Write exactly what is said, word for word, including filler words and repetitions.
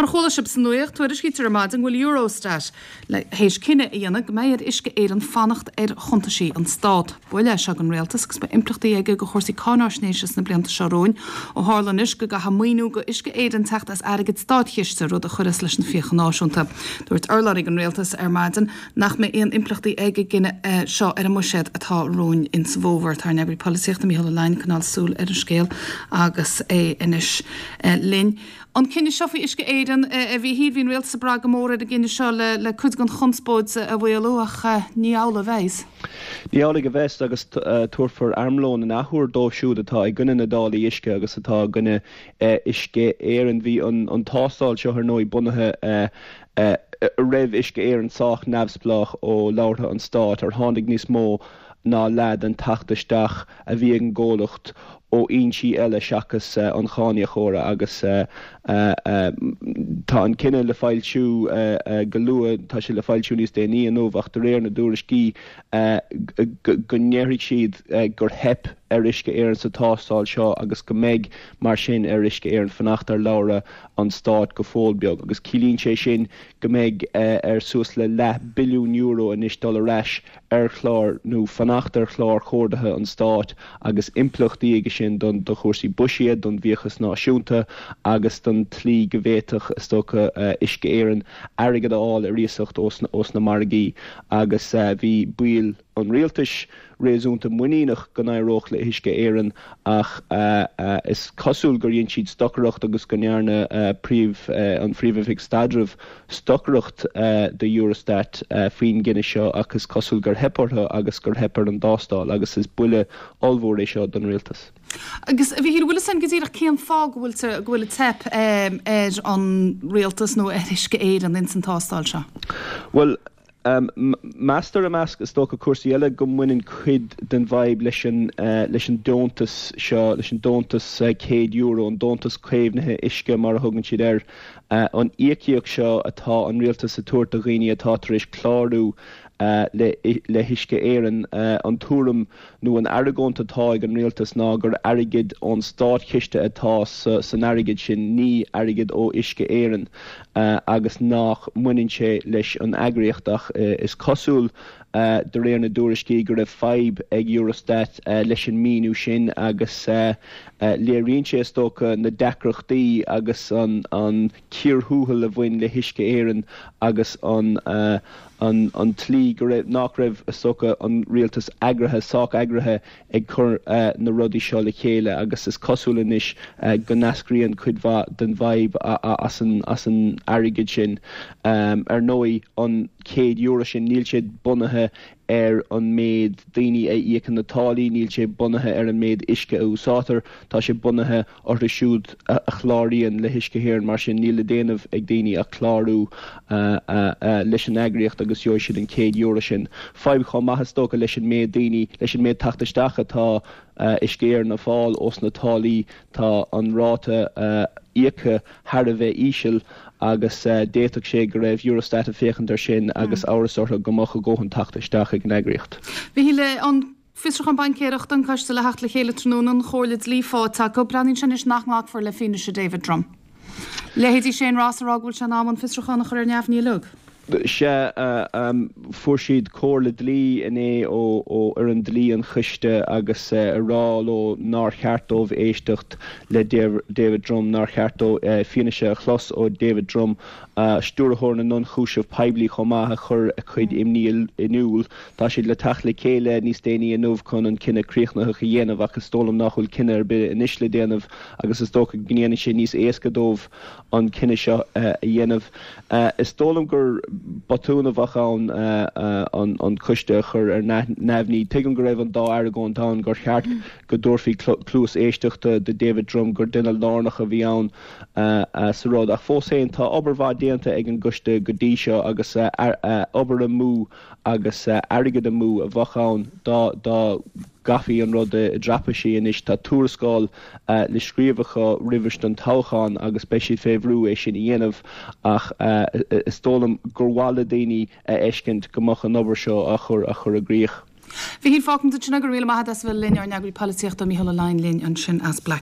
Mar chuala sibh sa nuacht, tuairiscítear ar maidin go bhfuil Eurostat le théis cinneadh a dhéanamh go mbeidh ar Uisce Éireann fanacht ar chuntaisí an Stát. Buille é seo don rialtas agus beidh impleachtaí aige do chúrsaí cáinaisnéise sna blianta seo romhainn ó tharla anois go gcaithfidh maoiniú do Uisce Éireann teacht as airgead státchiste rud a chuireas leis na fiacha náisiúnta. Dúirt urlabhraí an rialtas ar maidin nach mbeidh aon impleachtaí ag an gcinneadh seo ar an mbuiséad atá romhainn insa bhfómhar. Tá ár n-eagraí polaitíochta Mícheál Ó Leidhin ag coinneáil súil ar an scéal agus é anois linn. An cinneadh seo faoi Uisce Éireann a Mhíchíl, bhí an rialtas ag brath go mór ar an gcinneadh seo le le cuid den chonspóid a mhaolú ach ní amhlaidh a bheas. Ní amhlaidh a bheas agus tabharfar armlón an athuair dóibh siúd atá i gcoinne na dtáillí uisce agus atá i gcoinne Uisce Éireann. Bhí an an tástáil seo ar ndóigh bunaithe raibh Uisce Éireann sách neamhspleách ó leabhartha an stáit ar tháinig níos mó ná leath den teacht isteach a bhí ag an gcomhlacht ó fhoinsí eile seachas an cháiníocóra agus tá an cinneadh le foilsiú go luath tá sé le foilsiú níos déanaí inniu ach de réir na dtuairiscí go ndéarfaidh siad gur theip ar Uisce Éireann sa tástáil seo agus go mbeidh mar sin ar Uisce Éireann fanacht ar leabhra an stáit go fóill beag agus ciallaíonn sé sin go mbeidh ar suas le leath billiún euro anois dul ar ais ar chlár nó fanacht ar chlár comhardaithe an stáit agus impleachtaí aige sin don do chúrsaí buiséid don bhfiachas náisiúnta agus don tslí go bhféadfadh is dócha Uisce Éireann airgead a fháil ar iasacht ós na margaí agus bhí baill an rialtais réasúnta muiníneach go n-éireodh le hUisce Éireann ach is cosúil gur dhein siad stocaireacht agus go ndearna príomh an phríomhoifig staidrimh stocaireacht do Eurostat faoin gcinneadh seo ach is cosúil gur theip orthu agus gur theip ar an dtástáil agus is buille ollmhór é seo don rialtas. Agus a Mhíchíl bhfuil san go díreach cén fáth go bhfuil go bhfuil teip ar an rialtas nó ar Uisce Éireann ins an tástáil seo? Well Um, meastar i measc is dócha cúrsaí eile go mbaineann cuid den bhfadhb leis an uh, leis an deontas seo leis an deontas uh, céad euro an deontas caomhnaithe uisce mar a thugann siad air uh, an íocaíocht seo atá an rialtas ag tabhairt do dhaoine atá tar éis clárú uh, le, le hUisce Éireann uh, an tuairim nó an argóint atá ag an rialtas ná gur airgead ón státchiste atá sa, san airgead sin ní airgead ó Uisce Éireann uh, agus nach mbaineann sé leis an eagraíocht ach uh, is cosúil uh, de réir na dtuairiscí go raibh fadhb ag Eurostat uh, leis an míniú sin agus uh, uh, léiríonn sé is dócha na deacrachtaí agus an, an cíor thuathail a bhain le hUisce Éireann agus an uh, an, an tslí go raibh nach raibh is dócha an rialtas eagraithe sách eagraithe ag cur uh, na rudaí seo le chéile agus is cosúil anois uh, go n-eascraíonn cuid mhaith den bhfadhb as an, as an airgead sin um, ar ndóigh an céad euro sin níl sé bunaithe ar an méid daoine a íocann na táillí níl sé bunaithe ar an méid uisce a úsáidtear tá sé bunaithe orthu siúd a chláraíonn le hUisce Éireann mar sin níl le déanamh ag daoine ach clárú uh, uh, uh, leis an eagraíocht agus gheobhaidh siad an céad euro sin. Fadhb chomh maith is dócha leis an méid daoine leis an méid teacht isteach atá uh, Uisce Éireann ag fáil ós na táillí tá an ráta uh, íoca thar a bheith íseal agus uh, d'fhéadfadh sé go raibh Eurostat ag féachaint air sin agus mm. amhras orthu go mbeadh a ndóthain teacht isteach ag an eagraíocht. Bhí le an fiosrúchán baincéireachta an coiste le theacht le chéile tráthnóna an chomhairle dlí faighte acu breathnaíonn sé anois nach nglacfar le fianaise David Drumm. Leithéidí Shane Ross ag rá go bhfuil sé in am an fiosrúchán a chur ar neamhní uilig. sé uh, um, fuair siad comhairle dlí inné ó ó ar an dlí an choiste agus uh, a rá leo nár cheart dóibh éisteacht le David Drumm nár cheart dóibh uh, fianaise a chlos ó David Drumm uh, stiúrthóir na n-ionchúiseamh poiblí chomh maith a chur a chuid imní in iúl Tá siad le teacht le chéile níos déanaí inniu chun an cinneadh críochnaitheach a dhéanamh agus is dóigh liom nach bhfuil cinneadh ar bith anois le déanamh agus is dócha go ndéanfaidh sé níos éasca dóibh an cinneadh seo uh, a dhéanamh. Uh, is dóigh liom gur botún a bheadh ann uh, uh, an, an coiste a chur ar neamhní. Tuigim go raibh an dá argóint ann gur cheart go dtabharfaí cluas éisteachta do David Drumm gur duine lárnach a bhí ann uh, uh, sa rud ach fós féin tá obair mhaith déanta ag an gcoiste go dtí seo agus uh, uh, obair amú agus uh, airgead amú a bheadh ann dá dá gcaithfí an rud i dtraipisí anois tá tuarascáil uh, le scríobh acu roimh an toghchán agus beidh siad fé bhrú é sin a dhéanamh ach uh, is dóigh liom gur mhaith le daoine a fheiscint go mbeadh an obair seo a chur a chur i gcrích. Bhí hí fácam sinna gur ri maith as bhfuil linn ár n-eagraí polaitíochta Mícheál Ó Leidhin linn ansin as Black.